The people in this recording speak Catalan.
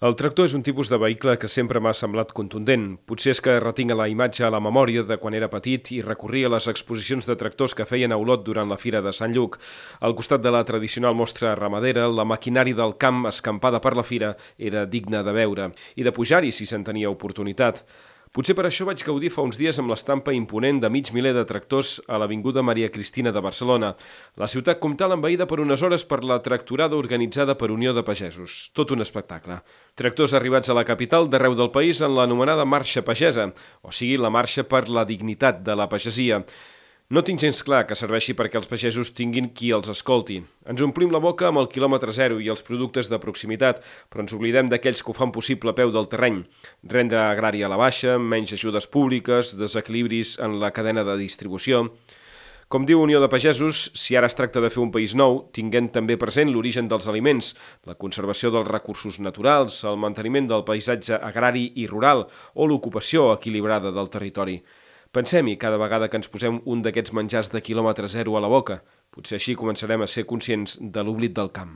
El tractor és un tipus de vehicle que sempre m'ha semblat contundent. Potser és que retinc la imatge a la memòria de quan era petit i recorria a les exposicions de tractors que feien a Olot durant la Fira de Sant Lluc. Al costat de la tradicional mostra ramadera, la maquinària del camp escampada per la fira era digna de veure i de pujar-hi si se'n tenia oportunitat. Potser per això vaig gaudir fa uns dies amb l'estampa imponent de mig miler de tractors a l'Avinguda Maria Cristina de Barcelona. La ciutat comtal envaïda per unes hores per la tractorada organitzada per Unió de Pagesos. Tot un espectacle. Tractors arribats a la capital d'arreu del país en l'anomenada Marxa Pagesa, o sigui, la marxa per la dignitat de la pagesia. No tinc gens clar que serveixi perquè els pagesos tinguin qui els escolti. Ens omplim la boca amb el quilòmetre zero i els productes de proximitat, però ens oblidem d'aquells que ho fan possible a peu del terreny. Renda agrària a la baixa, menys ajudes públiques, desequilibris en la cadena de distribució. Com diu Unió de Pagesos, si ara es tracta de fer un país nou, tinguent també present l'origen dels aliments, la conservació dels recursos naturals, el manteniment del paisatge agrari i rural o l'ocupació equilibrada del territori. Pensem-hi cada vegada que ens posem un d'aquests menjars de quilòmetre zero a la boca. Potser així començarem a ser conscients de l'oblit del camp.